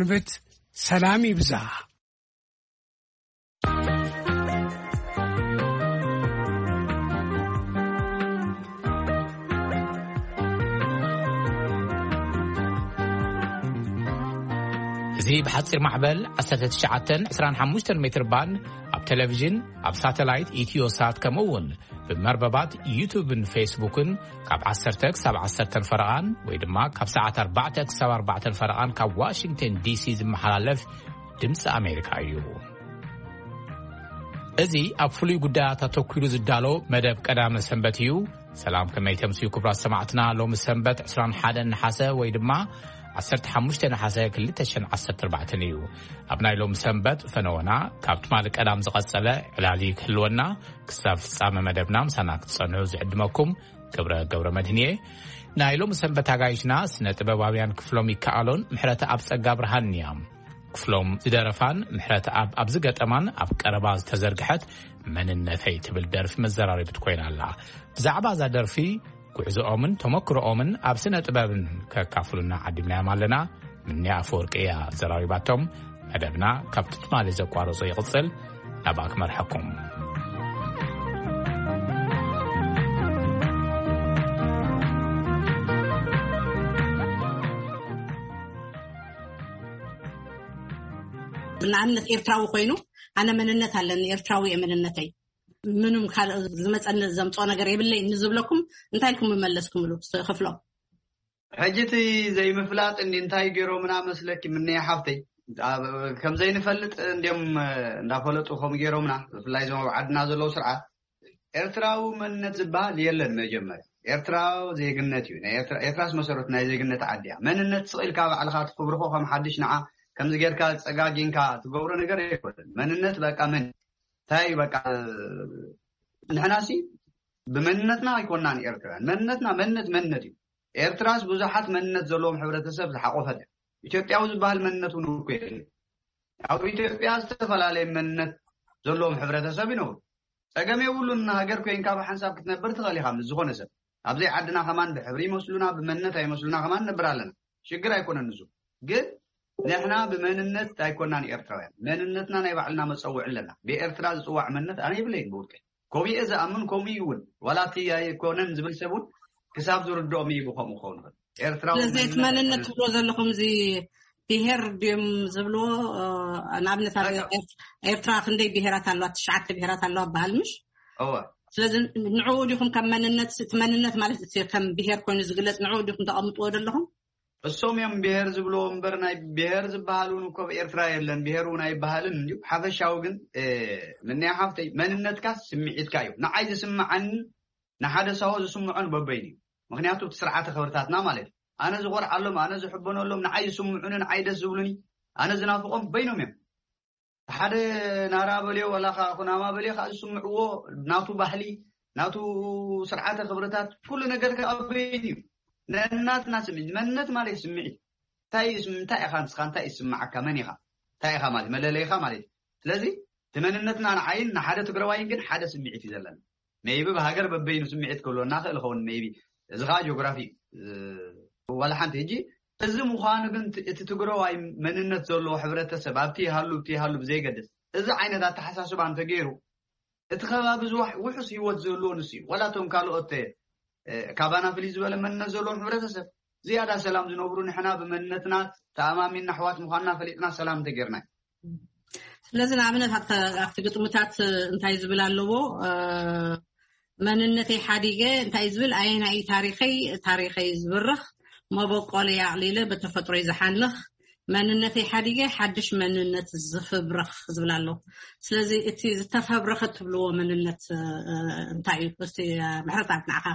ንብት ሰላም ይብዛ። እዚ ብሓጺር ማዕበል ዓሰርተ ትሽዓተ ዕስራን ሓሙሽተን ሜትር ባንድ ኣብ ቴሌቪዥን፣ ኣብ ሳተላይት ኢትዮሳት፣ ከምኡ እውን ብመርበባት ዩቱብን ፌስቡክን ካብ ዓሰርተ ክሳብ ዓሰርተ ፈረቓን ወይ ድማ ካብ ሰዓት ኣርባዕተ ክሳብ ኣርባዕተ ፈረቓን ካብ ዋሽንግተን ዲሲ ዝመሓላለፍ ድምፂ ኣሜሪካ እዩ። እዚ ኣብ ፍሉይ ጉዳያት ኣተኲሩ ዝዳሎ መደብ ቀዳመ ሰንበት እዩ። ሰላም፣ ከመይ ተምስዩ ክቡራት ሰማዕትና? ሎሚ ሰንበት ዕስራን ሓደን ነሓሰ ወይ ድማ ዓሰርተ ሓሙሽተ ነሓሰ ክልተ ሽሕን ዓሰርተ ኣርባዕተን እዩ። ኣብ ናይ ሎሚ ሰንበት ፈነወና ካብ ትማሊ ቀዳም ዝቐጸለ ዕላል ክህልወና፣ ክሳብ ፍጻመ መደብና ምሳና ክትጸንሑ ዝዕድመኩም ክብረ ገብረ መድህን እየ። ናይ ሎሚ ሰንበት ኣጋይሽና ስነ ጥበባውያን ክፍሎም ይከኣሎን ምሕረተኣብ ጸጋ ብርሃንን እያ። ክፍሎም ዝደረፋን ምሕረተኣብ ኣብ ዝገጠማን ኣብ ቀረባ ዝተዘርግሐት መንነተይ ትብል ደርፊ መዘራረቢት ኮይና ኣላ። ብዛዕባ እዛ ደርፊ፣ ጉዕዞኦምን ተመክሮኦምን ኣብ ስነ ጥበብን ከካፍሉና ዓዲምናዮም ኣለና። ምንያ ኣፈወርቂ እያ ዘራዊባቶም። መደብና ካብቲ ትማሊ ዘቋረጾ ይቕጽል። ናብኣ ክመርሐኩም። ንኣብነት ኤርትራዊ ኮይኑ፣ ኣነ መንነት ኣለኒ፣ ኤርትራዊ እየ መንነተይ፣ ምንም ካልእ ዝመፀኒ ዘምፅኦ ነገር የብለይ ንዝብለኩም እንታይ ኢልኩም ምመለስኩምሉ? ክፍሎም። ሕጂ እቲ ዘይምፍላጥ እንዲ እንታይ ገይሮምና መስለኪ? ምነይ ሓፍተይ፣ ኣብ- ከም ዘይንፈልጥ እንዲም እንዳፈለጡ ከም ገይሮምና፣ ብፍላይ እዞም ኣብ ዓድና ዘለዉ ስርዓት። ኤርትራዊ መንነት ዝበሃል የለን። መጀመርያ ኤርትራዊ ዜግነት እዩ። ናይ ኤርትራ- ኤርትራስ መሰረቱ ናይ ዜግነት ዓዲ እያ። መንነት ስቕ ኢልካ ባዕልኻ ትኽብርኮ ከም ሓድሽ ንዓ ከምዚ ጌርካ ጸጋጊንካ ትገብሮ ነገር ኣይኮነን። መንነት በቃ መን እንታይ በቃ ንሕናሲ ብመንነትና ኣይኮናን ኤርትራውያን። መንነትና መንነት መንነት እዩ። ኤርትራስ ብዙሓት መንነት ዘለዎም ሕብረተሰብ ዝሓቆፈት እያ። ኢትዮጵያዊ ዝበሃል መንነት እውን እኮ የለን። ኣብ ኢትዮጵያ ዝተፈላለየ መንነት ዘለዎም ሕብረተሰብ ይነብሩ። ጸገም የብሉን። ሃገር ኮይንካ ብሓንሳብ ክትነብር ትኽእል ኢኻ ምስ ዝኾነ ሰብ። ኣብዘይ ዓድና ከማን ብሕብሪ ይመስሉና ብመንነት ኣይመስሉና ከማን ነብር ኣለና። ሽግር ኣይኮነን ንሱ። ግን ንሕና ብመንነት ኣይኮናን ኤርትራውያን። መንነትና ናይ ባዕልና መጸውዒ ኣለና። ብኤርትራ ዝጽዋዕ መንነት ኣነ ይብለይን ብውልቀይ። ኮሚኤ ዝኣምን ኮሚኡ እውን ዋላ እቲ ኣይኮነን ዝብል ሰብ እውን ክሳብ ዝርድኦም እዩ ብከምኡ ክኸውን ይኽእል። ኤርትራዊ ስለዚ እቲ መንነት መንነት ኣይኮነን። ትብሎ ዘለኹም እዚ ብሄር ድዮም ዝብልዎ? ንኣብነት ኣብ ኤርትራ ክንደይ ብሄራት ኣለዋ? ትሽዓተ ብሄራት ኣለዋ በሃል ምሽ? እወ። ስለዚ ንዕኡ ዲኹም ከም መንነት፣ እቲ መንነት ማለት እቲ ከም ብሄር ኮይኑ ዝግለጽ ንዕኡ ዲኹም ተቐምጥዎ ዘለኹም? እሶም እዮም ብሄር ዝብልዎ እምበር ናይ ብሄር ዝበሃል እውን እኮ ኣብ ኤርትራ የለን። ብሄር እውን ኣይበሃልን እዩ። ሓፈሻዊ ግን ምንያ ሓፍተይ መንነትካ ስምዒትካ እዩ። ንዓይ ዝስምዓኒ ንሓደ ሳሆ ዝስምዖን በበይኑ እዩ። ምክንያቱ እቲ ስርዓተ ክብርታትና ማለት እዩ። ኣነ ዝኾርዓሎም፣ ኣነ ዝሕበነሎም፣ ንዓይ ዝስምዑኒ፣ ንዓይ ደስ ዝብሉኒ፣ ኣነ ዝናፍቖም በይኖም እዮም። ሓደ ናራ በልዮ ዋላ ከዓ ኩናማ በልዮ ከዓ ዝስምዕዎ ናቱ ባህሊ፣ ናቱ ስርዓተ ክብርታት፣ ኩሉ ነገር ከዓ በይኑ እዩ። ነናትና ስምዒት፣ መንነት ማለት ስምዒት። እንታይ እዩ ስም- እንታይ ኢኻ ንስኻ እንታይ እዩ ዝስምዓካ መን ኢኻ እንታይ ኢኻ ማለት መለለይኻ ማለት እዩ። ስለዚ እቲ መንነትና ንዓይን ንሓደ ትግራዋይን ግን ሓደ ስምዒት እዩ ዘለና። ሜይቢ ብሃገር በበይኑ ስምዒት ክህልወና ክእል ኸውን ሜይቢ እዚ ከዓ ጂኦግራፊ እዩ። ዋላ ሓንቲ ሕጂ እዚ ምዃኑ ግን እቲ ትግራዋይ መንነት ዘለዎ ሕብረተሰብ ኣብቲ ይሃሉ ኣብቲ ይሃሉ ብዘይገድስ እዚ ዓይነት ኣተሓሳስባ እንተገይሩ እቲ ከባቢ ዝዋሕ ውሑስ ህይወት ዘለዎ ንሱ እዩ። ዋላ እቶም ካልኦት ካባና ፍልይ ዝበለ መንነት ዘለዎም ሕብረተሰብ ዝያዳ ሰላም ዝነብሩ ንሕና ብመንነትና ተኣማሚንና ኣሕዋት ምዃንና ፈሊጥና ሰላም እንተጌርና እዩ። ስለዚ ንኣብነት ኣብቲ ግጥምታት እንታይ ዝብል ኣለዎ? መንነተይ ሓዲገ እንታይ ዝብል ኣየናይ ታሪኸይ ታሪኸይ ዝብርኽ መበቆለይ ኣቕሊለ ብተፈጥሮይ ዝሓንኽ መንነተይ ሓዲገ ሓድሽ መንነት ዝፍብርኽ ዝብል ኣሎ። ስለዚ እቲ ዝተፈብረኸ ትብልዎ መንነት እንታይ እዩ? እስቲ ምሕረት ኣብ ንዓኻ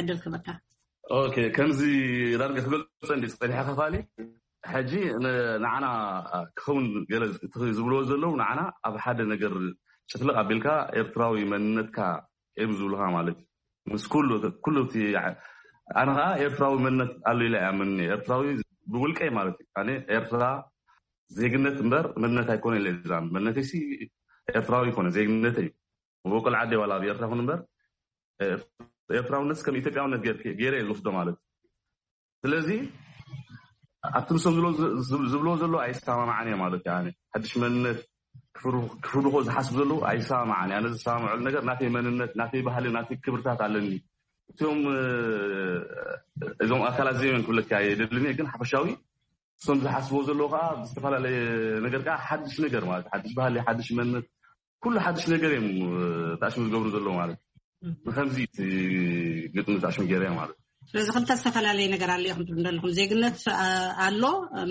ዕድል ክበካ። ኦኬ፣ ከምዚ ዳርጋ ክገልፀ እንዲ ፀኒሐ ከፋሊ ሕጂ ንዓና ክኸውን ገለ ዝብልዎ ዘለዉ ንዓና ኣብ ሓደ ነገር ጭፍልቕ ኣቢልካ ኤርትራዊ መንነትካ እዮም ዝብሉኻ ማለት እዩ። ምስ ኩሉ ኩሉ እቲ ኣነ ከዓ ኤርትራዊ መንነት ኣሎ ኢለ እያ ምን ኤርትራዊ ብውልቀይ ማለት እዩ። ኣነ ኤርትራ ዜግነት እምበር መንነት ኣይኮነ ኢለ እዛ መንነተይሲ ኤርትራዊ ይኮነ ዜግነተይ እዩ። መበቆል ዓደይ ዋላ ኣብ ኤርትራ ይኹን እምበር ኤርትራውነት ከም ኢትዮጵያውነት ገይረ እየ ዝወስዶ ማለት እዩ። ስለዚ ኣብቲ ንሶም ዝብሎ ዘለዉ ኣይሰማማዓን እየ ማለት እዩ። ሓድሽ መንነት ክፍርድኮ ዝሓስቡ ዘለዉ ኣይሰማማዓን እየ። ኣነ ዝሰማምዐሉ ነገር ናተይ መንነት፣ ናተይ ባህሊ፣ ናተይ ክብርታት ኣለኒ። እቲኦም እዞም ኣካላት እዚኦም ክብለካ የደልን እየ፣ ግን ሓፈሻዊ እሶም ዝሓስብዎ ዘለዉ ከዓ ብዝተፈላለየ ነገር ከዓ ሓድሽ ነገር ማለት ሓድሽ ባህሊ፣ ሓድሽ መንነት፣ ኩሉ ሓድሽ ነገር እዮም ተኣሽሙ ዝገብሩ ዘለዉ ማለት። ንከምዚ እቲ ግጥሚ ተኣሽሙ ገይረ ማለት። ስለዚ ክልተ ዝተፈላለየ ነገር ኣሎ ኢኹም ትብሉ ዘለኹም። ዜግነት ኣሎ፣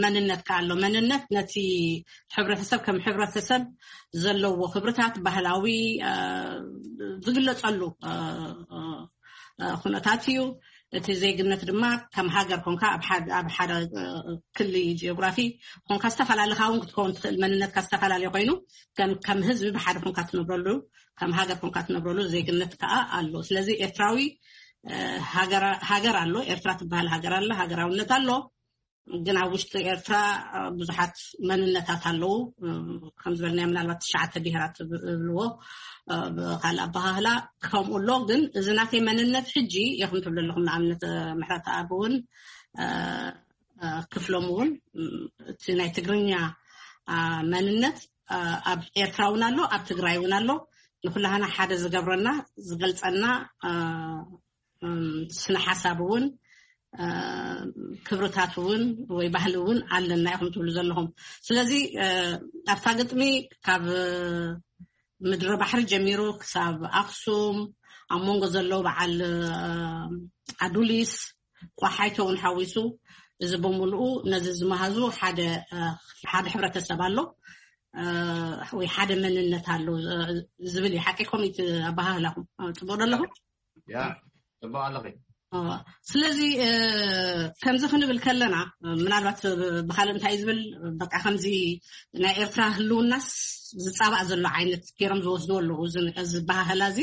መንነት ከ ኣሎ። መንነት ነቲ ሕብረተሰብ ከም ሕብረተሰብ ዘለዎ ክብርታት፣ ባህላዊ ዝግለጸሉ ኩነታት እዩ። እቲ ዜግነት ድማ ከም ሃገር ኮንካ ኣብ ሓደ ክሊ ጂኦግራፊ ኮንካ ዝተፈላለኻ እውን ክትከውን ትኽእል። መንነትካ ዝተፈላለየ ኮይኑ ከም ህዝቢ ብሓደ ኮንካ ትነብረሉ፣ ከም ሃገር ኮንካ ትነብረሉ ዜግነት ከዓ ኣሎ። ስለዚ ኤርትራዊ ሃገር ኣሎ፣ ኤርትራ ትበሃል ሃገር ኣለ፣ ሃገራውነት ኣሎ። ግን ኣብ ውሽጢ ኤርትራ ብዙሓት መንነታት ኣለዉ። ከም ዝበልናዮ ምናልባት ትሽዓተ ብሄራት ዝብልዎ ብካልእ ኣበሃህላ ከምኡ ኣሎ። ግን እዚ ናተይ መንነት ሕጂ ኢኹም ትብሉ ኣለኹም። ንኣብነት ምሕረት ኣብ እውን ክፍሎም እውን እቲ ናይ ትግርኛ መንነት ኣብ ኤርትራ እውን ኣሎ፣ ኣብ ትግራይ እውን ኣሎ። ንኩላህና ሓደ ዝገብረና ዝገልጸና ስነ ሓሳብ እውን ክብርታት እውን ወይ ባህሊ እውን ኣለና ኢኹም ትብሉ ዘለኹም። ስለዚ ኣብታ ግጥሚ ካብ ምድሪ ባሕሪ ጀሚሩ ክሳብ ኣክሱም ኣብ መንጎ ዘሎ በዓል ኣዱሊስ ቋሓይቶ እውን ሓዊሱ እዚ ብምልኡ ነዚ ዝመሃዙ ሓደ ሓደ ሕብረተሰብ ኣሎ ወይ ሓደ መንነት ኣሎ ዝብል እዩ። ሓቂ ኮሚት ኣበሃህላኹም ጽቡቅ ኣለኹም? ያ ጽቡቅ ኣለኺ። ስለዚ ከምዚ ክንብል ከለና ምናልባት ብካልእ እንታይ ዝብል በቃ ከምዚ ናይ ኤርትራ ህልውናስ ዝጻባእ ዘሎ ዓይነት ገይሮም ዝወስድዎ ኣለዉ። እዚ ባህህላ እዚ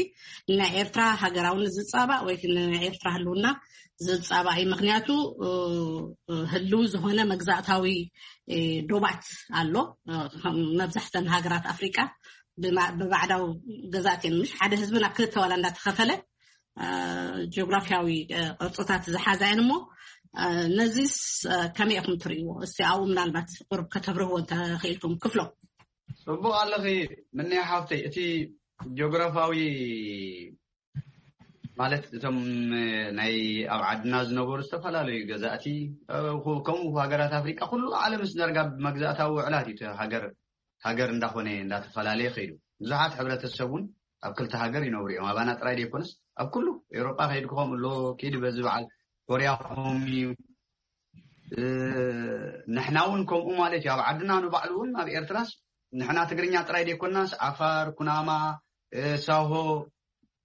ናይ ኤርትራ ሃገራውነት ዝጻባእ ወይ ናይ ኤርትራ ህልውና ዝጻባእ እዩ። ምክንያቱ ህልው ዝኾነ መግዛእታዊ ዶባት ኣሎ። መብዛሕተን ሃገራት ኣፍሪቃ ብባዕዳዊ ገዛእቲ ምሽ ሓደ ህዝቢ ናብ ክልተ ዋላ እንዳተኸፈለ ጂኦግራፊያዊ ቅርፅታት ዝሓዛ እየን። እሞ ነዚስ ከመይ ኢኹም ትርእይዎ? እስቲ ኣብኡ ምናልባት ቁርብ ከተብርህዎ እንተኽኢልኩም ክፍሎም። ጽቡቕ ኣለኺ ምንያ ሓፍተይ። እቲ ጂኦግራፋዊ ማለት እቶም ናይ ኣብ ዓድና ዝነበሩ ዝተፈላለዩ ገዛእቲ ከምኡ ሃገራት ኣፍሪቃ ኩሉ ዓለምስ ዳርጋ ብመግዛእታዊ ውዕላት እዩ ሃገር ሃገር እንዳኾነ እንዳተፈላለየ ከይዱ። ብዙሓት ሕብረተሰብ እውን ኣብ ክልተ ሃገር ይነብሩ እዮም። ኣባና ጥራይ ዘይኮነስ ኣብ ኩሉ ኤውሮጳ ከይድኩም ኣሎ ኪድ በዚ በዓል ኮርያ ኮም እዩ። ንሕና እውን ከምኡ ማለት እዩ። ኣብ ዓድና ንባዕሉ እውን ኣብ ኤርትራስ ንሕና ትግርኛ ጥራይ ዘይኮናስ ዓፋር፣ ኩናማ፣ ሳሆ፣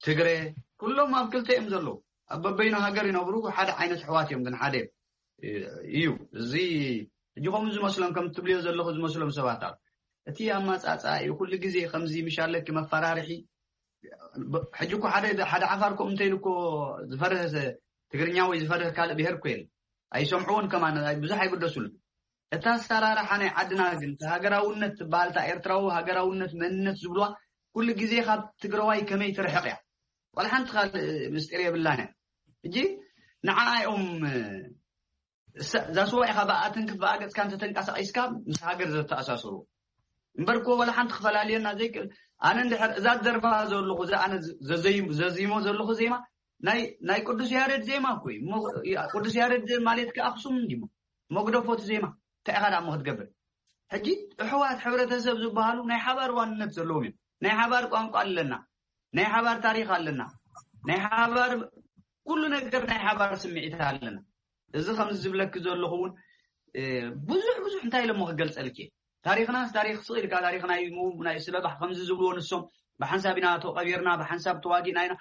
ትግረ ኩሎም ኣብ ክልተ እዮም ዘለዉ። ኣብ በበይኑ ሃገር ይነብሩ ሓደ ዓይነት ኣሕዋት እዮም ግን ሓደ እዩ። እዚ ሕጂ ከምኡ ዝመስሎም ከም ትብልዮ ዘለኹ ዝመስሎም ሰባት ኣብ እቲ ኣማጻጻ እዩ። ኩሉ ግዜ ከምዚ ምሻለኪ መፈራርሒ ሕጂ እኮ ሓደ ሓደ ዓፋር ኮም እንተይሉ እኮ ዝፈርህ ትግርኛ ወይ ዝፈርህ ካልእ ብሄር እኮ የለ ኣይሰምዕዎን ከማን ብዙሕ ኣይግደሱሉ። እታ ኣሰራርሓ ናይ ዓድና ግን ሃገራውነት ትበሃል እታ ኤርትራዊ ሃገራውነት መንነት ዝብልዋ ኩሉ ግዜ ካብ ትግራዋይ ከመይ ትርሕቕ እያ። ዋላ ሓንቲ ካልእ ምስጢር የብላን እያ። ሕጂ ንዓኣ እዮም እዛ ስዋ ኢኻ ብኣትንክፍ ብኣገጽካ እንተተንቀሳቒስካ ምስ ሃገር ዘተኣሳስሩ እምበር እኮ ዋላ ሓንቲ ክፈላልየና ዘይክእል። ኣነ እንድሕር እዛ ደርፋ ዘለኹ እዛ ኣነ ዘዚሞ ዘለኹ ዜማ ናይ ናይ ቅዱስ ያሬድ ዜማ እኮ እዩ። ቅዱስ ያሬድ ማለት ከ ኣክሱም እንዲሞ መግደፎ እቲ ዜማ እንታይ ኢኻ ደኣ ክትገብር? ሕጂ ኣሕዋት ሕብረተሰብ ዝበሃሉ ናይ ሓባር ዋንነት ዘለዎም እዮም። ናይ ሓባር ቋንቋ ኣለና፣ ናይ ሓባር ታሪኽ ኣለና፣ ናይ ሓባር ኩሉ ነገር ናይ ሓባር ስምዒት ኣለና። እዚ ከምዚ ዝብለኪ ዘለኹ እውን ብዙሕ ብዙሕ እንታይ ኢለ እሞ ክገልፀልኪ እየ። ታሪኽናስ ታሪኽ ስቕ ኢልካ ታሪኽና እዩ ናይ ስለባሕ ከምዚ ዝብልዎ ንሶም ብሓንሳብ ኢና ተቐቢርና ብሓንሳብ ተዋጊእና ኢና።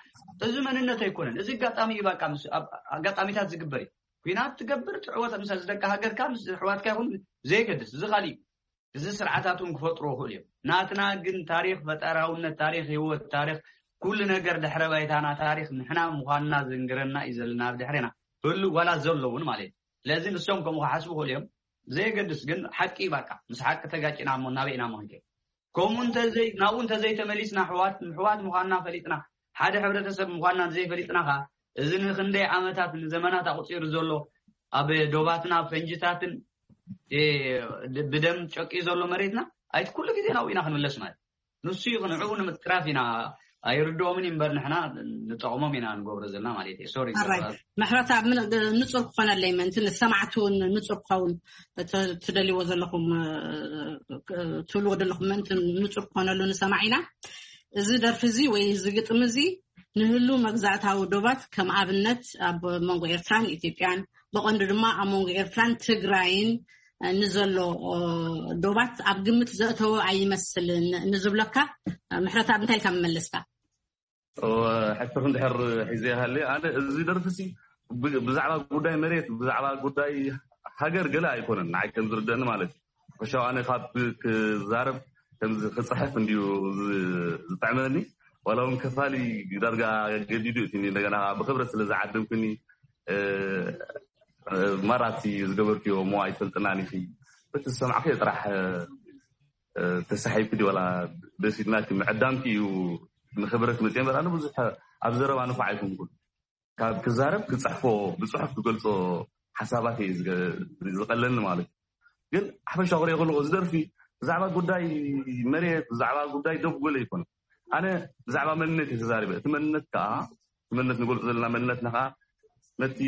እዚ መንነት ኣይኮነን። እዚ ኣጋጣሚ እዩ በቃ ኣጋጣሚታት ዝግበር እዩ። ኩናት ትገብር ትዕወት ምስ ደቂ ሃገርካ ምስ ኣሕዋትካ ይኹን ዘይገድስ እዚ ካሊእ እዩ። እዚ ስርዓታት እውን ክፈጥሩ ይኽእሉ እዮም። ናትና ግን ታሪኽ ፈጠራውነት ታሪኽ ህይወት ታሪኽ ኩሉ ነገር ድሕረ ባይታና ታሪኽ ንሕና ምዃንና ዘንግረና እዩ ዘለና ኣብ ድሕሬና ህሉ ዋላ ዘሎ እውን ማለት እዩ። ስለዚ ንሶም ከምኡ ክሓስቡ ይኽእሉ እዮም። ዘየገድስ ግን ሓቂ እዩ። በቃ ምስ ሓቂ ተጋጭና እሞ ናበይ ኢና እሞ ክንከይድ? ከምኡ እንተዘይ ናብኡ እንተዘይተመሊስና ኣሕዋት ኣሕዋት ምዃንና ፈሊጥና ሓደ ሕብረተሰብ ምዃንና እንተዘይፈሊጥና ኸዓ እዚ ንክንደይ ዓመታት ንዘመናት ኣቑፂሩ ዘሎ ኣብ ዶባትና ፈንጅታትን እ፣ ብደም ጨቂዩ ዘሎ መሬትና ኣይት ኩሉ ግዜ ናብኡ ኢና ክንምለስ ማለት ንሱ እዩ። ክንዕኡ ንምትራፍ ኢና ኣይርድኦምን እዩ እምበር ንሕና ንጠቕሞም ኢና ንገብሮ ዘለና ማለት እዩ። ሶሪ ኣራይ። ምሕረት ኣብ ምን ንጹር ክኾነለይ ምእንቲ ንሰማዕቲ እውን ንጹር ክኸውን ተ- ትደልይዎ ዘለኹም እ፣ ትብልዎ ዘለኹም ምእንቲ ንጹር ክኾነሉ ንሰማዕ ኢና። እዚ ደርፊ እዚ ወይ እዚ ግጥሚ እዚ ንህሉ መግዛእታዊ ዶባት ከም ኣብነት ኣብ መንጎ ኤርትራን ኢትዮጵያን ብቐንዱ ድማ ኣብ መንጎ ኤርትራን ትግራይን እ፣ ንዘሎ እ፣ ዶባት ኣብ ግምት ዘእተወ ኣይመስልን ንዝብለካ እ፣ ምሕረት ኣብ እንታይ ኢልካ መመለስካ? ሕትር እንድሕር ሒዘ ይሃለ ኣነ እዚ ደርፍሲ ብ- ብዛዕባ ጉዳይ መሬት ብዛዕባ ጉዳይ ሃገር ገለ ኣይኮነን ንዓይ ከም ዝርደኒ ማለት እዩ። ሕሻው ኣነ ካብ ክዛረብ ከምዚ ክፅሕፍ እንድዩ ዝ- ዝጥዕመኒ ዋላ እውን ከፋሊ ዳርጋ ገዲዱ እቲ እንደገና ብክብረት ስለ ዝዓደምኩኒ እ፣ እ፣ ማራቲ ዝገበርክዮ እሞ ኣይፈልጥናን ኢኺ በቲ ዝሰማዕክዮ ጥራሕ እ፣ ተሳሒብኪ ድዩ ዋላ ደስ ኢልናኪ ምዕዳምኪ እዩ ንክብረት መፅየ እምበር ኣነ ብዙሕ ኣብ ዘረባ ንፉዕ ኣይኮንኩን ካብ ክዛረብ ክፅሕፎ ብፅሑፍ ክገልፆ ሓሳባት እየ ዝገ- ዝቐለኒ ማለት እዩ ግን ሓፈሻ ክሪኦ ከለኩ እዚ ደርፊ ብዛዕባ ጉዳይ መሬት ብዛዕባ ጉዳይ ደብ ጎለ ኣይኮነ ኣነ ብዛዕባ መንነት እየ ተዛሪበ እቲ መንነት ከዓ እቲ መንነት ንገልፆ ዘለና መንነትና ከዓ ነቲ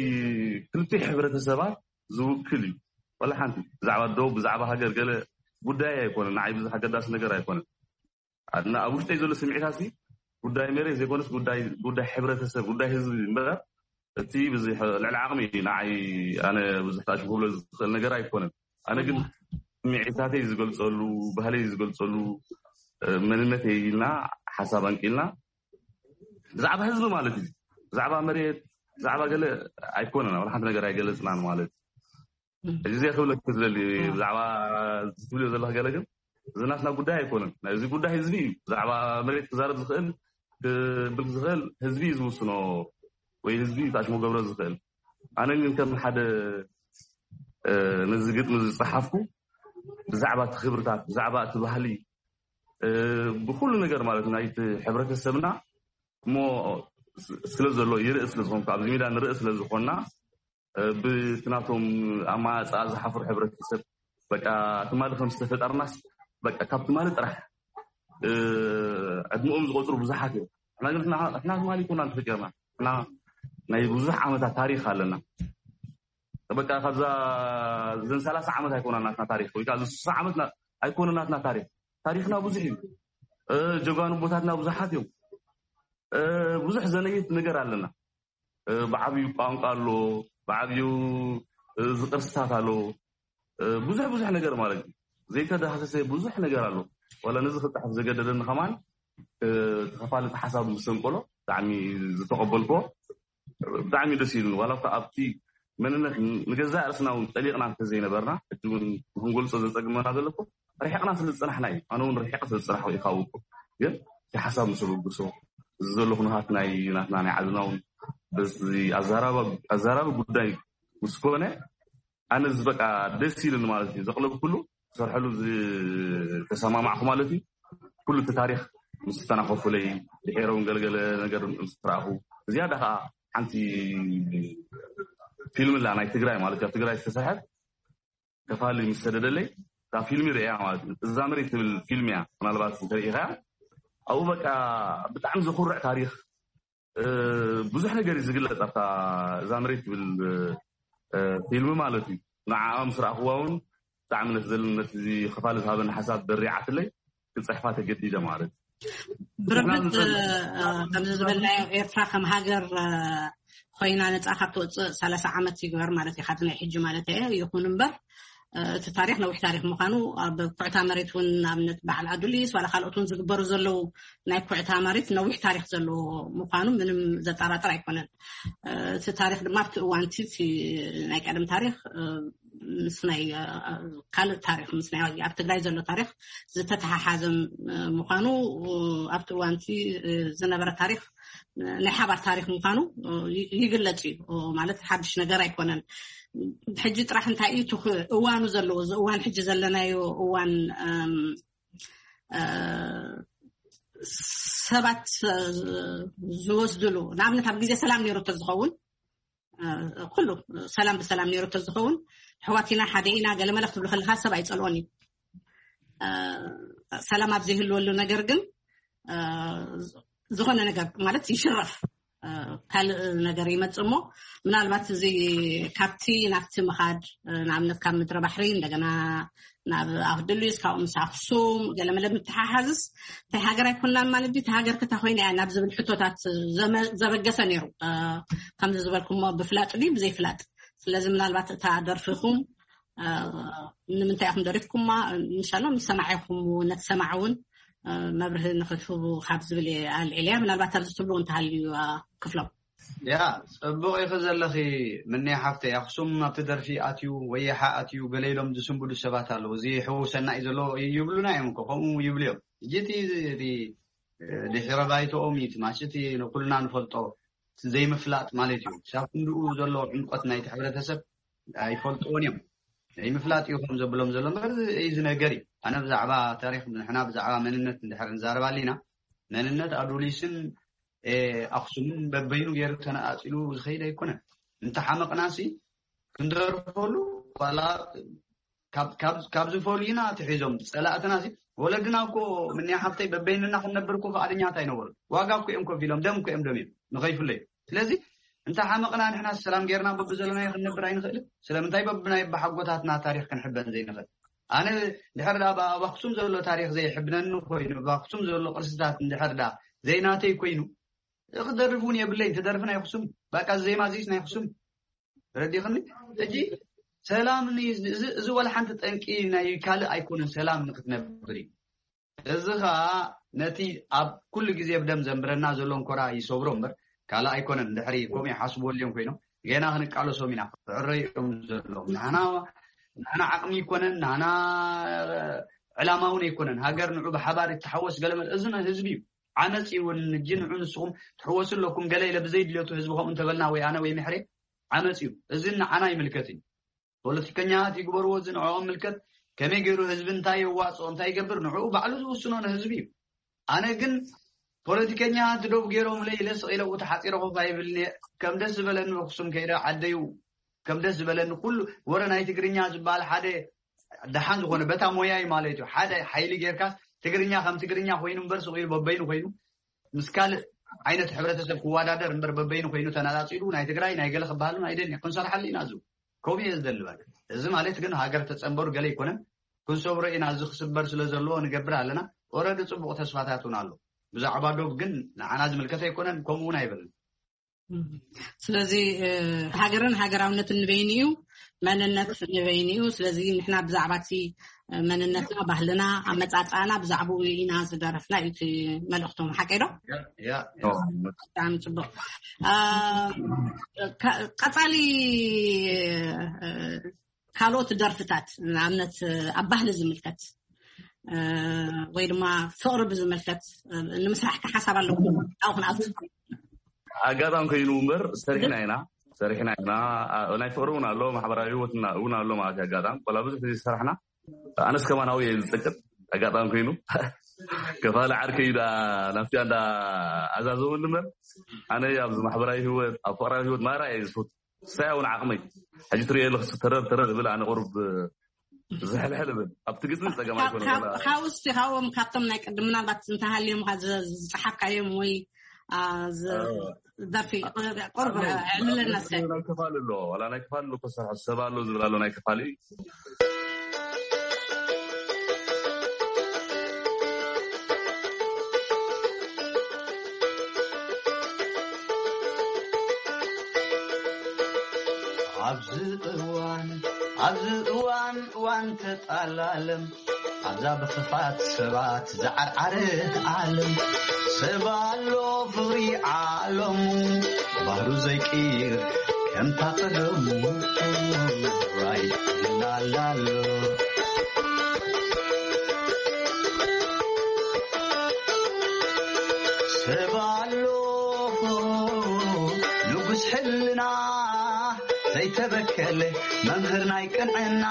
ክልቲኡ ሕብረተሰባት ዝውክል እዩ ወላ ሓንቲ ብዛዕባ ደው ብዛዕባ ሃገር ገለ ጉዳይ ኣይኮነ ንዓይ ብዙሕ ኣገዳሲ ነገር ኣይኮነ ኣብ ውሽጠይ ዘሎ ስምዒታት ጉዳይ መሬት ዘይኮነስ ጉዳይ ጉዳይ ሕብረተሰብ ጉዳይ ህዝቢ እምበር እቲ ብዙሕ ልዕሊ ዓቕሚ እዩ ንዓይ ኣነ ብዙሕ ታሽሙ ክብሎ ዝኽእል ነገር ኣይኮነን ኣነ ግን ስምዒታተይ ዝገልፀሉ ባህለይ ዝገልፀሉ መንነተይ ኢልና ሓሳብ ኣንቂልና ብዛዕባ ህዝቢ ማለት እዩ ብዛዕባ መሬት ብዛዕባ ገለ ኣይኮነን ኣብ ሓንቲ ነገር ኣይገለፅናን ማለት እዩ እዚ ክብለክ ዝደሊ ብዛዕባ ትብልዮ ዘለካ ገለ ግን እዚ ናትና ጉዳይ ኣይኮነን ናይዚ ጉዳይ ህዝቢ እዩ ብዛዕባ መሬት ክዛረብ ዝኽእል ክብል ዝኽእል ህዝቢ እዩ ዝውስኖ ወይ ህዝቢ እዩ ታሽሞ ገብረ ዝኽእል ኣነ ግን ከም ሓደ ነዚ ግጥሚ ዝፀሓፍኩ ብዛዕባ እቲ ክብርታት ብዛዕባ እቲ ባህሊ ብኩሉ ነገር ማለት ናይቲ ሕብረተሰብና እሞ ስለ ዘሎ ይርኢ ስለ ዝኾንኩ ኣብዚ ሜዳ ንርኢ ስለ ዝኾንና ብቲ ናቶም ኣማፃ ዝሓፍሩ ሕብረተሰብ በቃ ትማሊ ከም ዝተፈጠርናስ በቃ ካብ ትማሊ ጥራሕ ዕድመኦም ዝቆፅሩ ብዙሓት እዮም ሕና ግን ሕና ትማሊ ይኮና ተፈጢርና ሕና ናይ ብዙሕ ዓመታት ታሪክ ኣለና በቃ ካብዛ ዘን ሰላሳ ዓመት ኣይኮና ናትና ታሪክ ወይ ከዓ ስሳ ዓመት ኣይኮነ ናትና ታሪክ ታሪክና ብዙሕ እዩ ጀጋኑ ቦታትና ብዙሓት እዮም ብዙሕ ዘነይት ነገር ኣለና ብዓብዩ ቋንቋ ኣሎ ብዓብዩ ዝቅርስታት ኣሎ ብዙሕ ብዙሕ ነገር ማለት እዩ ዘይተዳህሰሰ ብዙሕ ነገር ኣሎ ዋላ ነዚ ክፅሕፍ ዘገደደኒ ከማን ተኸፋልቲ ሓሳብ ምስ ሰንቀሎ ብጣዕሚ ዝተቐበልኮ ብጣዕሚ ደስ ኢሉኒ ዋላ ኣብቲ መንነት ንገዛእ ርእስና እውን ጠሊቕና እንተዘይነበርና ሕጂ እውን ንክንገልፆ ዘፀግመና ዘለኮ ርሒቕና ስለ ዝፅናሕና እዩ ኣነ እውን ርሒቕ ስለ ዝፅናሕኩ እዩ ካብውቁ ግን እቲ ሓሳብ ምስ ብግሶ እዚ ዘሎ ኩነታት ናይ ናትና ናይ ዓድና እውን በዚ ኣዛራቢ ጉዳይ ምስ ኮነ ኣነ እዚ በቃ ደስ ኢሉኒ ማለት እዩ ዘቕለብኩሉ ዝሰርሐሉ ዝተሰማማዕኩ ማለት እዩ ኩሉ እቲ ታሪክ ምስ ዝተናኸፉለይ ድሒረ እውን ገለገለ ነገር ምስ ረኣኹ ዝያዳ ከዓ ሓንቲ ፊልም ላ ናይ ትግራይ ማለት ኣብ ትግራይ ዝተሰርሐት ከፋሊ ምስ ሰደደለይ እዛ ፊልሚ ርእያ ማለት እዩ እዛ መሬት ትብል ፊልም እያ ምናልባት እንተሪኢኻ ኣብኡ በቃ ብጣዕሚ ዘኩርዕ ታሪክ ብዙሕ ነገር እዩ ዝግለፅ ኣብታ እዛ መሬት ትብል ፊልሚ ማለት እዩ ንዓኣ ምስ ረኣኽዋ እውን ብጣዕሚ ነቲ ዘለነት እዚ ክፋል ዝሃበኒ ሓሳብ በሪዓትለይ ክፅሕፋ ተገዲደ ማለት እዩ ብርግፅ ከምዚ ዝበልናዮ ኤርትራ ከም ሃገር ኮይና ነፃ ካብ ትወፅእ ሰላሳ ዓመት ይግበር ማለት እዩ ካብዚ ናይ ሕጂ ማለት እየ ይኹን እምበር እቲ ታሪክ ነዊሕ ታሪክ ምኳኑ ኣብ ኩዕታ መሬት እውን ንኣብነት በዓል ኣዱሊስ ዋላ ካልኦት እውን ዝግበሩ ዘለዉ ናይ ኩዕታ መሬት ነዊሕ ታሪክ ዘለዎ ምኳኑ ምንም ዘጠራጥር ኣይኮነን እቲ ታሪክ ድማ ኣብቲ እዋንቲ ናይ ቀደም ታሪክ ምስ ናይ ካልእ ታሪክ ምስ ናይ ኣብ ትግራይ ዘሎ ታሪክ ዝተተሓሓዘ ምኳኑ ኣብቲ እዋንቲ ዝነበረ ታሪክ ናይ ሓባር ታሪክ ምኳኑ ይግለፅ እዩ ማለት ሓድሽ ነገር ኣይኮነን ሕጂ ጥራሕ እንታይ እዩ እዋኑ ዘለዎ እዚ እዋን ሕጂ ዘለናዮ እዋን ሰባት ዝወስድሉ ንኣብነት ኣብ ግዜ ሰላም ነይሩ ተዝኸውን ኩሉ ሰላም ብሰላም ነይሩ ተዝኸውን ኣሕዋት ኢና፣ ሓደ ኢና፣ ገለመለ ክትብሉ ከለካ ሰብ ኣይጸልኦን እዩ። ሰላም ኣብ ዘይህልወሉ ነገር ግን ዝኾነ ነገር ማለት ይሽረፍ፣ ካልእ ነገር ይመጽእ እሞ፣ ምናልባት እዚ ካብቲ ናብቲ ምኻድ፣ ንኣብነት ካብ ምድሪ ባሕሪ እንደገና ናብ ኣክድሉስ ካብኡ ምስ ኣክሱም ገለመለ ምትሓሓዝስ እንታይ ሃገር ኣይኮናን ማለት ድዩ? ሃገር ክታ ኮይና እያ ናብ ዝብል ሕቶታት ዘበገሰ ነይሩ። ከምዚ ዝበልኩሞ ብፍላጥ ድዩ ብዘይፍላጥ? ስለዚ ምናልባት እታ ደርፍኹም ንምንታይ ኢኹም ደሪፍኩማ? ምሻሎ ምስ ሰማዒኹም እውን ነቲ ሰማዕ እውን መብርሂ ንክትህቡ ካብ ዝብል እየ ኣልዒልያ። ምናልባት ኣብዚ ትብሉ እንተሃልዩ ክፍሎም። ያ፣ ጽቡቕ ኢኺ ዘለኺ። ምንያ ሓፍተይ፣ ኣኽሱም ኣብቲ ደርፊ ኣትዩ ወይ ይሓ ኣትዩ ገለ ኢሎም ዝስንብዱ ሰባት ኣለዉ። እዚ ሕውሰና እዩ ዘሎ ይብሉና እዮም እኮ፣ ከምኡ ይብሉ እዮም። ሕጂ እቲ ድሕረ ባይቶኦም እዩ እቲ ማሽ እቲ ንኩልና ንፈልጦ ዘይምፍላጥ ማለት እዩ። ሳብ ክንድኡ ዘሎ ዕምቆት ናይቲ ሕብረተሰብ ኣይፈልጥዎን እዮም። ዘይምፍላጥ እዩ ከም ዘብሎም ዘሎ እምበር እዚ ነገር እዩ። ኣነ ብዛዕባ ታሪኽ ንሕና ብዛዕባ መንነት እንድሕር ንዛረብ ኣሊና መንነት ኣዱሊስን ኣኽሱምን በበይኑ ገይሩ ተነኣፂሉ ዝኸይድ ኣይኮነን። እንተሓመቕናሲ ክንደርፈሉ ዋላ ካብ ዝፈልዩና ትሒዞም ፀላእትና ወለድና እኮ ምንያ ሓብተይ በበይንና ክንነብር እኮ ፍቓደኛት ኣይነበሩ። ዋጋ እኮ እዮም ከፊሎም፣ ደም እኮ እዮም ደም እዮም ንኸይፍለዩ። ስለዚ እንተ ሓመቕና ንሕና ሰላም ጌርና በብዘለናዮ ክንነብር ኣይንኽእልን። ስለምንታይ በብናይ በሓጎታትና ታሪኽ ክንሕበን ዘይንኽእል? ኣነ ድሕር ዳ ኣብ ኣኽሱም ዘሎ ታሪኽ ዘይሕብነኒ ኮይኑ፣ ኣብ ኣኽሱም ዘሎ ቅርስታት እንድሕር ዳ ዘይናተይ ኮይኑ፣ ክደርፍ እውን የብለይን። ትደርፍ ናይ ኣኽሱም፣ በቃ ዜማ ዚስ ናይ ኣኽሱም። ረዲኽኒ? ሕጂ ሰላም እዚ ወላ ሓንቲ ጠንቂ ናይ ካልእ ኣይኮነን። ሰላም ንክትነብር እዩ። እዚ ኸኣ ነቲ ኣብ ኩሉ ግዜ ብደም ዘንብረና ዘሎ እንኮራ ይሰብሮ እምበር ካልእ ኣይኮነን። ድሕሪ ከምኡ ይሓስቡ ኣልዮም ኮይኖም ገና ክንቃለሶም ኢና። ክዕረዮም ዘለዎም ንሕና ንሕና ዓቕሚ ኣይኮነን፣ ንሕና ዕላማ እውን ኣይኮነን። ሃገር ንዑ ብሓባር ይተሓወስ ገለመለ እዚ ህዝቢ እዩ። ዓመፅ እዩ እውን እጂ ንዑ ንስኹም ትሕወሱ ኣለኩም ገለ ኢለ ብዘይድልየቱ ህዝቢ ከምኡ እንተበልና ወይ ኣነ ወይ ምሕሬ ዓመፅ እዩ። እዚ ንዓና ይምልከት እዩ። ፖለቲከኛታት ይግበርዎ፣ እዚ ንዕኦም ምልከት። ከመይ ገይሩ ህዝቢ እንታይ የዋፅኦ እንታይ ይገብር ንዕኡ ባዕሉ ዝውስኖ ንህዝቢ እዩ። ኣነ ግን ፖለቲከኛታት ዶብ ገይሮም ኢለ ስቕ ኢለ ብኡ ተሓፂረ ኮፍ ኣይብልን እየ። ከም ደስ ዝበለኒ ኣኽሱም ከይደ ዓደዩ ከም ደስ ዝበለኒ ኩሉ ወረ ናይ ትግርኛ ዝበሃል ሓደ ደሓን ዝኾነ በታ ሞያይ ማለት እዩ። ሓደ ሓይሊ ጌርካስ ትግርኛ ከም ትግርኛ ኮይኑ እምበር ስቕ ኢሉ በበይኑ ኮይኑ ምስ ካልእ ዓይነት ሕብረተሰብ ክወዳደር እምበር በበይኑ ኮይኑ ተነፃፂሉ ናይ ትግራይ ናይ ገለ ክበሃልን ኣይደልን እየ። ክንሰርሓሉ ኢና። እዚ ከምኡ እየ ዝደሊ። በቃ እዚ ማለት ግን ሃገር ተፀንበሩ ገለ ኣይኮነን። ክንሰብሮ ኢና። እዚ ክስበር ስለ ዘለዎ ንገብር ኣለና። ኦረዲ ፅቡቕ ተስፋታት እውን ኣሎ። ብዛዕባ ዶብ ግን ንዓና ዝምልከት ኣይኮነን፣ ከምኡ እውን ኣይበልን። ስለዚ ሃገርን ሃገራውነትን ንበይኑ እዩ፣ መንነት ንበይኑ እዩ። ስለዚ ንሕና ብዛዕባ እቲ መንነትና፣ ባህልና፣ ኣመፃፅኣና ብዛዕባኡ ኢና ዝደረፍና እዩ እቲ መልእኽቶም። ሓቀይ ዶ? ያ፣ ያ፣ ያ። ብጣዕሚ ፅቡቕ። አ፣ ካ-፣ ቀፃሊ እ፣ ካልኦት ደርፍታት ንኣብነት ኣብ ባህሊ ዝምልከት እ፣ ወይ ድማ ፍቕሪ ብዝምልከት እ፣ ንምስራሕ ከ ሓሳብ ኣለኩም? ኣብኡ ክንኣቱ። ኣጋጣሚ ኮይኑ እምበር ሰሪሕና ኢና፣ ሰሪሕና ኢና። ኣ፣ ናይ ፍቕሪ እውን ኣሎ፣ ማሕበራዊ ህይወት እና-፣ እውን ኣሎ ማለት እዩ። ኣጋጣሚ ዋላ ብዙሕ ግዜ ዝሰራሕና ኣነስ ከማን ኣብኡ እየ ዝፅቅጥ። ኣጋጣሚ ኮይኑ ከፋሊ ዓርከይ ዳ ናብቲ እንዳ ኣዛዘወኒ እምበር ኣነ ኣብዚ ማሕበራዊ ህይወት ኣብ ፍቕራዊ ህይወት ማራ እየ ዝፈቱ። ሳይ እውን ዓቕመይ ሕጂ ትሪኦ ኣለኽስ ተረር ተረር እብል ኣነ ቁሩብ ዝሕልሕል እብል ኣብቲ ግጥሚ ጸገም ኣይኮነ። ካብ ውስቲ ካብኦም ካብቶም ናይ ቅድም ምናልባት እንተሃልዮም ዝጸሓፍካዮም ወይ አ፣ ዝ- አ፣ ደርፊ ቁርብ ዕልለና እስከ። ናይ ክፋል ኣሎ ዋላ ናይ ክፋል ኣሎ እኮ ዝሰርሖ ሰብ ኣሎ ዝብል ኣሎ ናይ ክፋል እዩ። ኣብዚ እዋን ኣብዚ እዋን እዋን ተጣላለም ኣብዛ ብኽፋት ሰባት ዝዓርዓረት ዓለም ሰብ ኣሎ ፍቕሪ ዓለሙ ባህሩ ዘይቅይር ከምታ ቀደሙ ራይ ይላላሎ ሰብ ኣሎ ንጉስ ሕልና ዘይተበከለ መምህር ናይ ቅንዕና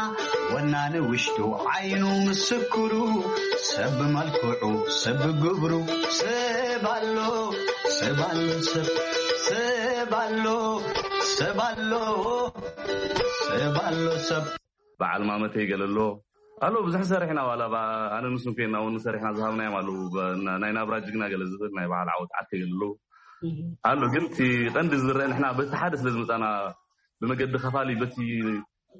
ወናኒ ውሽጡ ዓይኑ ምስክሩ ሰብ ብመልክዑ ሰብ ብግብሩ ሰብ ኣሎ ሰብ ኣሎ ሰብ ሰብ ኣሎ ሰብ ኣሎ፣ ሰብ ኣሎ፣ ሰብ። በዓል ማመተይ ገለ ኣሎ። ኣሎ፣ ብዙሕ ሰሪሕና፣ ዋላ ባ-፣ ኣነ ንሱን ኮይና እውን ሰሪሕና ዝሃብናዮም ኣለዉ። ብ-፣ ና-፣ ናይ ናብራ ጅግና ገለ ዝብል፣ ናይ በዓል ዓወት ዓርከይ ገለ ኣለዉ። ኣሎ፣ ግን እቲ ቀንዲ ዝረአ ንሕና በቲ ሓደ ስለ ዝመጻና፣ ብመገዲ ከፋሊ፣ በቲ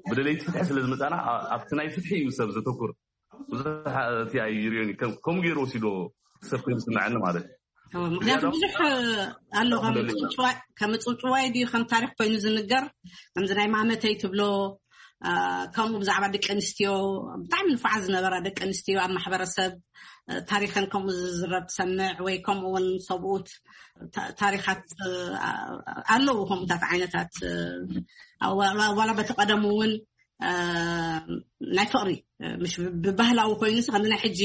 ብደለይቲ ፍትሒ ስለ ዝመጻና፣ ኣ-፣ ኣብቲ ናይ ፍትሒ እዩ ሰብ ዘተኩር። ብዙሕ እቲ ኣይርእዮን እዩ። ከም-፣ ከምኡ ገይሩ ወሲዶ ሰብ ኮይኑ ዝስምዐኒ ማለት እዩ። እዎ፣ ምክንያቱ ዝያዳ ብዙሕ ኣሎ፣ ከም ደሊና። ጽውጽዋይ፣ ከም ጽውጽዋይ ድዩ፣ ከም ታሪኽ ኮይኑ ዝንገር፣ ከምዚ ናይ ማመተይ ትብሎ፣ አ፣ ከምኡ ብዛዕባ ደቂ ኣንስትዮ፣ ብጣዕሚ ንፉዓት ዝነበራ ደቂ ኣንስትዮ ኣብ ማሕበረሰብ፣ አ፣ ታሪኸን ከምኡ ዝዝረብ ትሰምዕ፣ ወይ ከምኡ እውን ሰብኡት ታ-፣ ታሪኻት፣ አ፣ ኣለዉ ከምኡታት ዓይነታት፣ አ፣ ዋላ፣ ዋላ በቲ ቀደም እውን እ፣ ናይ ፍቕሪ፣ እ፣ ምሽ ብ-፣ ብባህላዊ ኮይኑስ፣ ከምዚ ናይ ሕጂ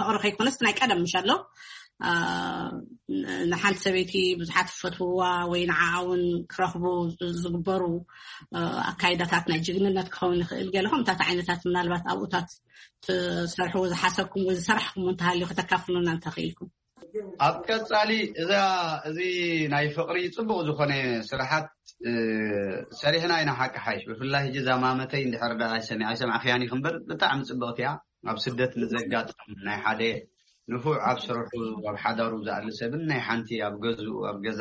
ፍቕሪ ከይኮነስ፣ ናይ ቀደም ምሽ ኣሎ። እ፣ ን-፣ ንሓንቲ ሰበይቲ ብዙሓት ዝፈትውዋ ወይ ንዓኣ እውን ክረኽቡ ዝ-፣ ዝግበሩ፣ እ፣ ኣካይዳታት ናይ ጅግንነት ክኸውን ይኽእል። ገለ ከምታት ዓይነታት ምናልባት ኣብኡታት ትሰርሕዎ ዝሓሰብኩም ወይ ዝሰራሕኩም እንተሃልዩ ከተካፍሉና እንተኽኢልኩም። ኣብ ቀጻሊ እዛ፣ እዚ ናይ ፍቕሪ ጽቡቕ ዝኾነ ስራሓት፣ እ፣ ሰሪሕና ኢና። ሓቂ ሓይሽ፣ ብፍላይ ሕጂ እዛ ማመተይ እንድሕር ደኣ ኣይሰሚ-፣ ኣይሰማዕክያን ኢኺ እምበር፣ ብጣዕሚ ጽብቕቲ እያ። ኣብ ስደት ንዘጋጥም ናይ ሓደ ንፉዕ ኣብ ስርሑ፣ ኣብ ሓዳሩ ዝኣሊ ሰብን ናይ ሓንቲ ኣብ ገዝኡ፣ ኣብ ገዛ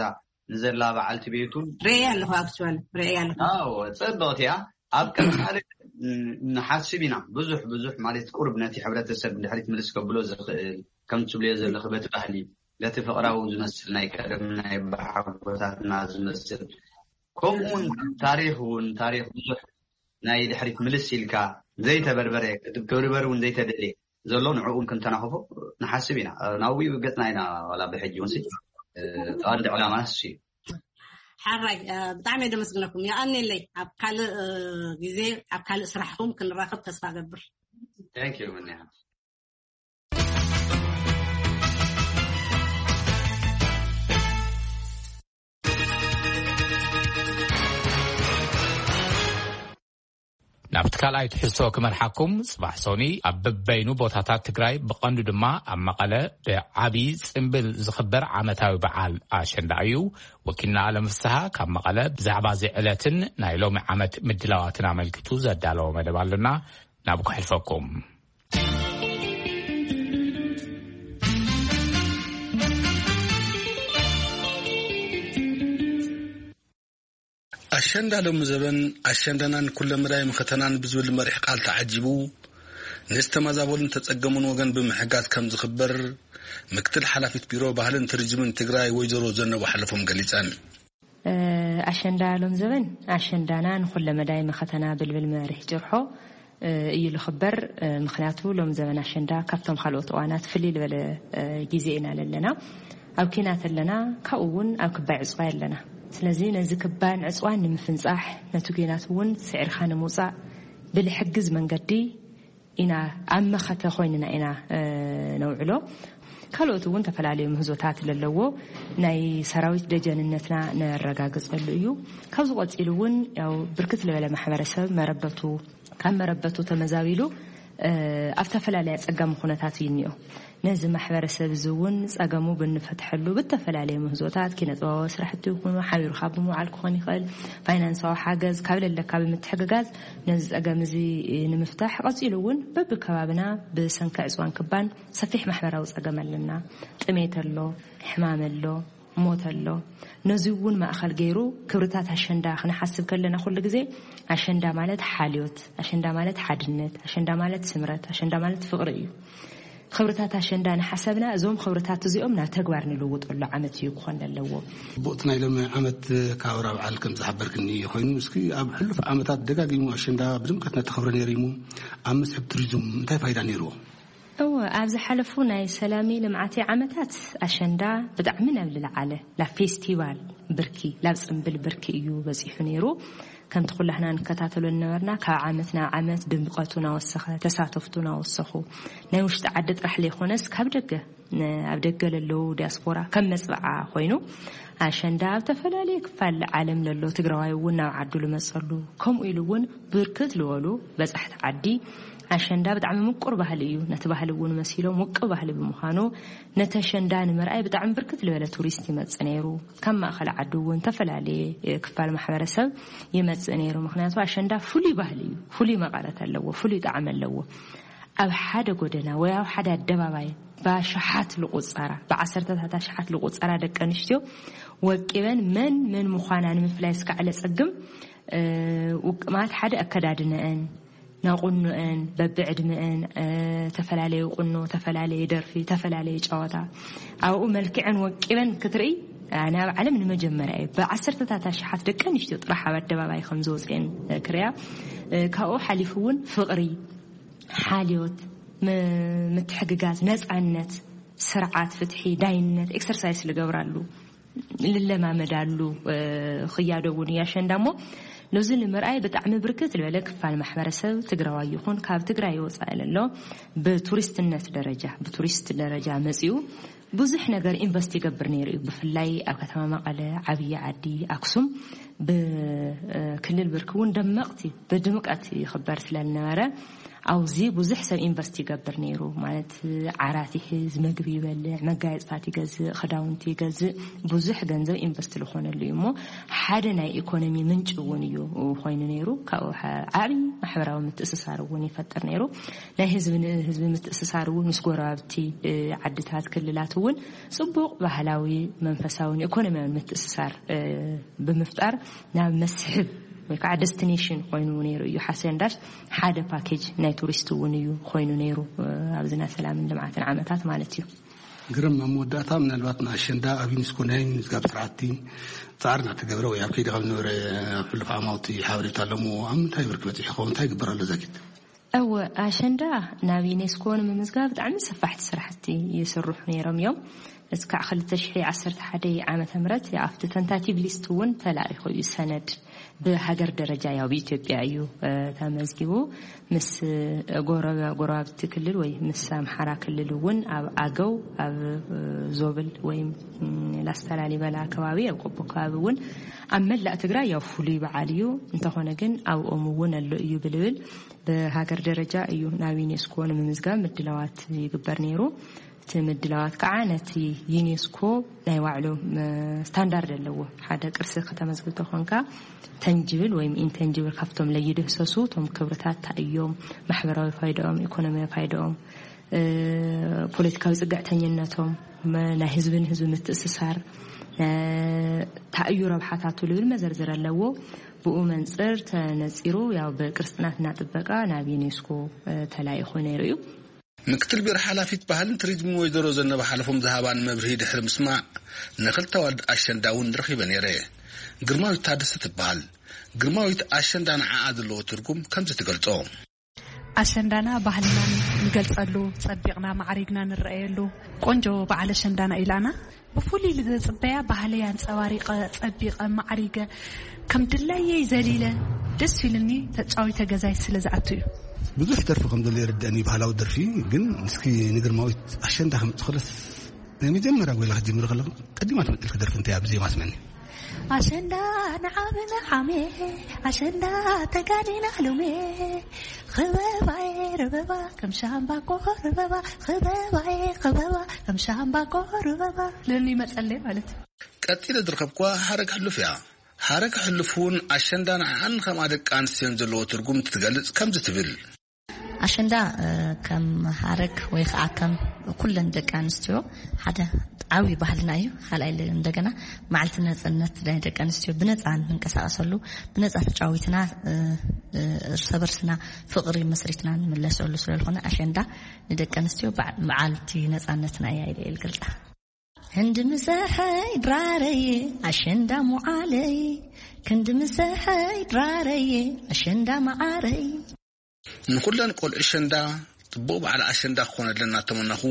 ንዘላ በዓልቲ ቤቱን ርእየ ኣለኹ፣ ኣክቹዋሊ ርእየ ኣለኹ። ኣዎ፣ ጽብቕቲ እያ። ኣብ ቀጻሊ ን-፣ ንሓስብ ኢና። ብዙሕ፣ ብዙሕ ማለት ቁሩብ ነቲ ሕብረተሰብ ንድሕሪት ምልስ ከብሎ ዝኽእል፣ ከም ትብልዮ ዘለኺ በቲ ባህሊ፣ በቲ ፍቕራዊ ዝመስል ናይ ቀደም ናይ ኣቦሓጎታትና ዝመስል፣ ከምኡ እውን ታሪኽ እውን፣ ታሪኽ ብዙሕ ናይ ድሕሪት ምልስ ኢልካ ዘይተበርበረ፣ ክትብርበር እውን ዘይተደልየ ዘሎ፣ ንዕኡ እውን ክንተናኸፎ ንሓስብ ኢና። ናብኡ ገጽና ኢና፣ ዋላ ብሕጂ እውን ሲ፣ እ፣ ቀንዲ ዕላማ እሱ እዩ። ሓራይ፣ እ፣ ብጣዕሚ እየ ደመስግነኩም። የቐንየለይ። ኣብ ካልእ፣ እ፣ ግዜ፣ ኣብ ካልእ ስራሕኩም ክንራኸብ ተስፋ እገብር። Thank you፣ ምንያ። ናብቲ ካልኣይ ትሕዝቶ ክመርሓኩም። ጽባሕ ሶኒ ኣብ በበይኑ ቦታታት ትግራይ፣ ብቐንዱ ድማ ኣብ መቐለ፣ ብዓቢ ጽምብል ዝኽበር ዓመታዊ በዓል ኣሸንዳ እዩ። ወኪልና ኣለም ፍስሃ ካብ መቐለ ብዛዕባ እዚ ዕለትን ናይ ሎሚ ዓመት ምድላዋትን ኣመልኪቱ ዘዳለዎ መደብ ኣሎና። ናብ ከሕልፈኩም። ኣሸንዳ ሎሚ ዘበን፣ ኣሸንዳናን ኩለመዳይ መኸተናን ብዝብል መሪሕ ቃል ተዓጂቡ፣ ንዝተመዛበሉን ተጸገሙን ወገን ብምሕጋዝ ከም ዝኽበር፣ ምክትል ሓላፊት ቢሮ ባህልን ቱሪዝምን ትግራይ ወይዘሮ ዘነቡ ሓለፎም ገሊጸን። እ፣ ኣሸንዳ ሎም ዘበን፣ ኣሸንዳና ንኹለመዳይ መኸተና ብልብል መሪሕ ጭርሖ፣ እ፣ እዩ ልኽበር። እ፣ ምኽንያቱ ሎም ዘበን ኣሸንዳ ካብቶም ካልኦት እዋናት ፍልይ ልበለ፣ እ፣ ግዜ ኢና ለለና። ኣብ ኲናት ኣለና፣ ካብኡ እውን ኣብ ክባይ ዕጽዋይ ኣለና። ስለዚ ነዚ ክባን ዕጽዋን ንምፍንጻሕ፣ ነቲ ኲናት እውን ስዒርካ ንምውጻእ ብልሕግዝ መንገዲ ኢና፣ ኣብ መኸተ ኮይንና ኢና፣ እ፣ ነውዕሎ። ካልኦት እውን ተፈላለዩ ምህዞታት ለለዎ ናይ ሰራዊት ደጀንነትና ነረጋግጸሉ እዩ። ካብዚ ቀጺሉ እውን ያው ብርክት ዝበለ ማሕበረሰብ መረበቱ፣ ካብ መረበቱ ተመዛቢሉ፣ እ፣ ኣብ ተፈላለየ ኣጸጋሚ ኩነታት እዩ እኒኦ። ነዚ ማሕበረሰብ እዚ እውን ጸገሙ ብንፈትሐሉ ብተፈላለየ ምህዞታት፣ ኪነ ጥበባዊ ስራሕቲ ይኹኑ፣ ሓቢርካ ብምውዓል ክኾን ይኽእል፣ ፋይናንሳዊ ሓገዝ ካብ ለለካ ብምትሕግጋዝ ነዚ ጸገም እዚ ንምፍታሕ፣ ቀጺሉ እውን በብከባብና ብሰንኪ ዕጽዋን ክባን ሰፊሕ ማሕበራዊ ጸገም ኣለና። ጥሜት ኣሎ፣ ሕማም ኣሎ፣ ሞት ኣሎ። ነዚ እውን ማእኸል ገይሩ ክብርታት ኣሸንዳ ክንሓስብ ከለና ኩሉ ግዜ ኣሸንዳ ማለት ሓልዮት፣ ኣሸንዳ ማለት ሓድነት፣ ኣሸንዳ ማለት ስምረት፣ ኣሸንዳ ማለት ፍቕሪ እዩ። ክብርታት ኣሸንዳ ንሓሰብና እዞም ክብርታት እዚኦም ናብ ተግባር ንልውጠሉ ዓመት እዩ ክኾን ዘለዎ። ጽቡቕቲ ናይ ሎሚ ዓመት ካብ ኣብራ በዓል ከም ዝሓበርክኒ ኮይኑ፣ እስኪ ኣብ ሕሉፍ ዓመታት ደጋጊሙ ኣሸንዳ ብድምቀት እናተኸብረ ነይሩ እዩ። ኣብ መስሕብ ቱሪዝም እንታይ ፋይዳ ነይርዎ? እወ፣ ኣብ ዝሓለፉ ናይ ሰላሚ ልምዓቲ ዓመታት ኣሸንዳ ብጣዕሚ ናብ ልለዓለ፣ ላብ ፌስቲቫል ብርኪ፣ ላብ ጽምብል ብርኪ እዩ በጺሑ ነይሩ። ከምቲ ኩላህና ንከታተሎ ዝነበርና፣ ካብ ዓመት ናብ ዓመት ድምቀቱ እናወሰኸ፣ ተሳተፍቱ እናወሰኹ፣ ናይ ውሽጢ ዓዲ ጥራሕ ለይኮነስ ካብ ደገ፣ ን-፣ ኣብ ደገ ለለዉ ዲያስፖራ ከም መጽብዓ ኮይኑ፣ ኣሸንዳ ኣብ ተፈላለየ ክፋል ዓለም ለሎ ትግራዋይ እውን ናብ ዓዱ ልመጸሉ፣ ከምኡ ኢሉ እውን ብርክት ልበሉ በጻሕቲ ዓዲ ኣሸንዳ ብጣዕሚ ምቁር ባህሊ እዩ። ነቲ ባህሊ እውን መሲሎም ውቁብ ባህሊ ብምዃኑ፣ ነቲ ኣሸንዳ ንምርኣይ ብጣዕሚ ብርክት ዝበለ ቱሪስት ይመጽእ ነይሩ። ካብ ማእኸል ዓዲ እውን ዝተፈላለየ፣ እ፣ ክፋል ማሕበረሰብ ይመጽእ ነይሩ። ምኽንያቱ ኣሸንዳ ፍሉይ ባህሊ እዩ፣ ፍሉይ መቐረት ኣለዎ፣ ፍሉይ ጣዕሚ ኣለዎ። ኣብ ሓደ ጎደና ወይ ኣብ ሓደ ኣደባባይ ብኣሽሓት ልቑጸራ፣ ብዓሰርተታት ኣሽሓት ልቑጸራ ደቂ ኣንስትዮ ወቂበን መን መን ምዃና ንምፍላይ እስካዕ ለጸግም፣ እ፣ ውቅ-፣ ማለት ሓደ ኣከዳድነአን፣ ናቁኖአን፣ በብዕድመአን፣ እ፣ ተፈላለዩ ቁኖ፣ ተፈላለየ ደርፊ፣ ተፈላለየ ጨዋታ፣ ኣብኡ መልክዐን ወቂበን ክትርኢ፣ ኣነ ኣብ ዓለም ንመጀመርያ እዩ። ብዓሰርተታት ኣሽሓት ደቂ ኣንስትዮ ጥራሕ ኣብ ኣደባባይ ከም ዝወፅአን፣ እ፣ ክሪኣ። እ፣ ካብኡ ሓሊፉ እውን ፍቕሪ፣ ሓልዮት፣ ም-፣ ምትሕግጋዝ፣ ነፃነት፣ ስርዓት፣ ፍትሒ፣ ዳይነት ኤክሰርሳይስ ልገብራሉ፣ ልለማመዳሉ፣ እ፣ ክያዶ እውን እዩ ኣሸንዳ እሞ፣ ነዚ ንምርኣይ ብጣዕሚ ብርክት ዝበለ ክፋል ማሕበረሰብ ትግራዋይ ይኹን ካብ ትግራይ ወፃኢ ለሎ ብቱሪስትነት ደረጃ፣ ብቱሪስት ደረጃ መፂኡ ብዙሕ ነገር ኢንቨስት ይገብር ነይሩ እዩ። ብፍላይ ኣብ ከተማ መቐለ፣ ዓብዪ ዓዲ፣ ኣክሱም ብክልል ብርኪ እውን ደመቕቲ፣ ብድምቀት ይኽበር ስለ ዝነበረ፣ ኣብዚ ብዙሕ ሰብ ኢንቨስት ይገብር ነይሩ። ማለት፣ ዓራት ይሕዝ፣ መግቢ ይበልዕ፣ መጋየፅታት ይገዝእ፣ ክዳውንቲ ይገዝእ፣ ብዙሕ ገንዘብ ኢንቨስት ዝኾነሉ እዩ እሞ፣ ሓደ ናይ ኢኮኖሚ ምንጭ እውን እዩ ኮይኑ ነይሩ። ካብኡ ሓ-፣ ዓብዪ ማሕበራዊ ምትእስሳር እውን ይፈጥር ነይሩ። ናይ ህዝቢ ንህዝቢ ምትእስሳር እውን ምስ ጎረባብቲ፣ እ፣ ዓድታት፣ ክልላት እውን ፅቡቕ ባህላዊ፣ መንፈሳውን ኢኮኖሚያውን ምትእስሳር፣ እ፣ ብምፍጣር ናብ መስሕብ ወይ ከዓ ደስቲኔሽን ኮይኑ ነይሩ እዩ። ሓሰንዳሽ ሓደ ፓኬጅ ናይ ቱሪስት እውን እዩ ኮይኑ ነይሩ፣ እ፣ ኣብዚ ናይ ሰላምን ልምዓትን ዓመታት ማለት እዩ። ግርም፣ ኣብ መወዳእታ ምናልባት ንኣሸንዳ ኣብ ዩኒስኮ ናይ ምዝጋብ ስራሕቲ ፃዕሪ እናተገብረ ወይ ኣብ ከይዲ ከም ዝነበረ ኣብ ሕሉፍ ዓማውቲ ሓበሬታ ኣለዎ። ኣብ ምንታይ ብርኪ በፂሑ ይኸውን? እንታይ ይግበር ኣሎ ዘጊት? እወ፣ ኣሸንዳ ናብ ዩኔስኮ ንምምዝጋብ ብጣዕሚ ሰፋሕቲ ስራሕቲ ይስርሑ ነይሮም እዮም። እስካዕ ክልተ ሽሕ ዓሰርተ ሓደ ዓመተ ምህረት ኣብቲ ተንታቲቭ ሊስት እውን ተላኢኹ እዩ ሰነድ። ብሃገር ደረጃ ያው ብኢትዮጵያ እዩ፣ እ፣ ተመዝጊቡ። ምስ ጎረባ-፣ ጎረባብቲ ክልል ወይ ምስ ኣምሓራ ክልል እውን ኣብ ኣገው፣ ኣብ፣ እ፣ ዞብል ወይም፣ ም፣ ላስታ ላሊበላ ከባቢ፣ ኣብ ቆቦ ከባቢ እውን ኣብ መላእ ትግራይ ያው ፍሉይ በዓል እዩ። እንተኾነ ግን ኣብኦም እውን ኣሎ እዩ ብልብል ብሃገር ደረጃ እዩ ናብ ዩኔስኮ ንምምዝጋብ ምድላዋት ይግበር ነይሩ። እቲ ምድላዋት ከዓ ነቲ ዩኔስኮ ናይ ባዕሉ፣ ም፣ ስታንዳርድ ኣለዎ። ሓደ ቅርሲ ከተመዝግብ ተኾንካ፣ ተንጅብል ወይም ኢንተንጅብል ካብቶም ለይድህሰሱ እቶም ክብርታት እንታይ እዮም፣ ማሕበራዊ ፋይዳኦም፣ ኢኮኖሚያዊ ፋይዳኦም፣ እ፣ ፖለቲካዊ ፅግዕተኝነቶም፣ መ-፣ ናይ ህዝቢ ንህዝቢ ምትእስሳር፣ እ፣ እንታይ እዩ ረብሓታቱ ልብል መዘርዝር ኣለዎ። ብኡ መንፅር ተነፂሩ ያው ብቅርስና ጥበቃ ናብ ዩኔስኮ፣ እ፣ ተላኢኹ ነይሩ እዩ። ምክትል ቢሮ ሓላፊት ባህልን ቱሪዝምን ወይዘሮ ዘነበ ሓለፎም ዝሃባን መብርሂ ድሕሪ ምስማዕ፣ ንክልተ ኣዋልድ ኣሸንዳ እውን ረኺበ ነይረ። ግርማዊት ታደሰ ትበሃል። ግርማዊት ኣሸንዳ ንዓኣ ዘለዎ ትርጉም ከምዚ ትገልጾ። ኣሸንዳና ባህልና ንገልጸሉ፣ ጸቢቕና ማዕሪግና ንረኣየሉ ቆንጆ በዓል ኣሸንዳና ኢላና። ብፍሉይ ዝጽበያ ባህለይ ኣንጸባሪቐ፣ ጸቢቐ፣ ማዕሪገ፣ ከም ድላየይ ዘሊለ፣ ደስ ኢሉኒ ተጫዊተ ገዛይ ስለ ዝኣቱ እዩ። ብዙሕ ደርፊ ከም ዘሎ ይርደእኒ፣ ባህላዊ ደርፊ። ግን እስኪ ንግርማዊት ኣሸንዳ ከምጽእ ከለስ፣ ናይ መጀመርያ ጎይላ ክትጅምሪ ከለኹ፣ ቀዲማ ትመጽልኪ ደርፊ እንታይ ኣብ ዜማ ስመኒ? ኣሸንዳ ንዓመ ንዓመ፣ ኣሸንዳ ተጋኒና ሎሜ፣ ኽበባየ ርበባ፣ ከም ሻምባቆ ርበባ፣ ኽበባየ ኽበባ፣ ከም ሻምባቆ ርበባ። ልኒ መጸለይ ማለት እዩ። ቀጺለ ዝረኸብኩዋ ሃረግ ሕሉፍ እያ። ሃረግ ሕሉፍ እውን ኣሸንዳ ንዓኣን ከምኣ ደቂ ኣንስትዮን ዘለዎ ትርጉም እንትትገልጽ ከምዚ ትብል። ኣሸንዳ፣ እ፣ ከም ሃረግ ወይ ከዓ ከም ኩለን ደቂ ኣንስትዮ ሓደ ዓብዪ ባህልና እዩ። ካልኣይ ል-፣ እንደገና መዓልቲ ነፃነት ናይ ደቂ ኣንስትዮ ብነፃ እንንቀሳቐሰሉ፣ ብነፃ ተጫዊትና፣ እ፣ እ፣ እርሰ በርስና ፍቕሪ መስሪትና እንምለሰሉ ስለ ዝኾነ ኣሸንዳ ንደቂ ኣንስትዮ በዓ-፣ መዓልቲ ነፃነትና እያ ኢለ እየ ዝገልፃ። ክንዲ ምሰሐይ ድራረየ ኣሸንዳ ሙዓለይ፣ ክንዲ ምሰሐይ ድራረየ ኣሸንዳ መዓረይ። ንኹለን ቆልዑ ኣሸንዳ ጽቡቕ በዓል ኣሸንዳ ክኾነለን እናተመነኹ፣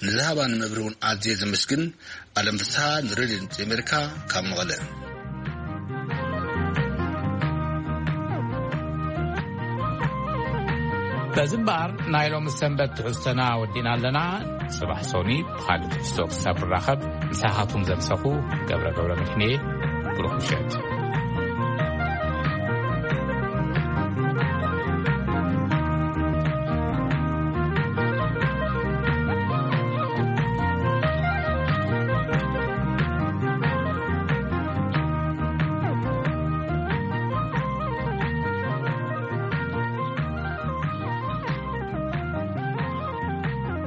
ንዝሃባኒ መብርሂ እውን ኣዝየ ዘመስግን። ኣለም ፍስሃ፣ ንሬድዮ ድምጺ ኣሜሪካ፣ ካብ መቐለ። በዚ እምበኣር ናይ ሎሚ ሰንበት ትሕዝቶና ወዲእና ኣለና። ጽባሕ ሶኒ ብኻልእ ትሕዝቶ ክሳብ ንራኸብ፣ ምሳኻትኩም ዘምሰኹ ገብረ ገብረ መድሕንየ፣ ብሩኽ ምሸት።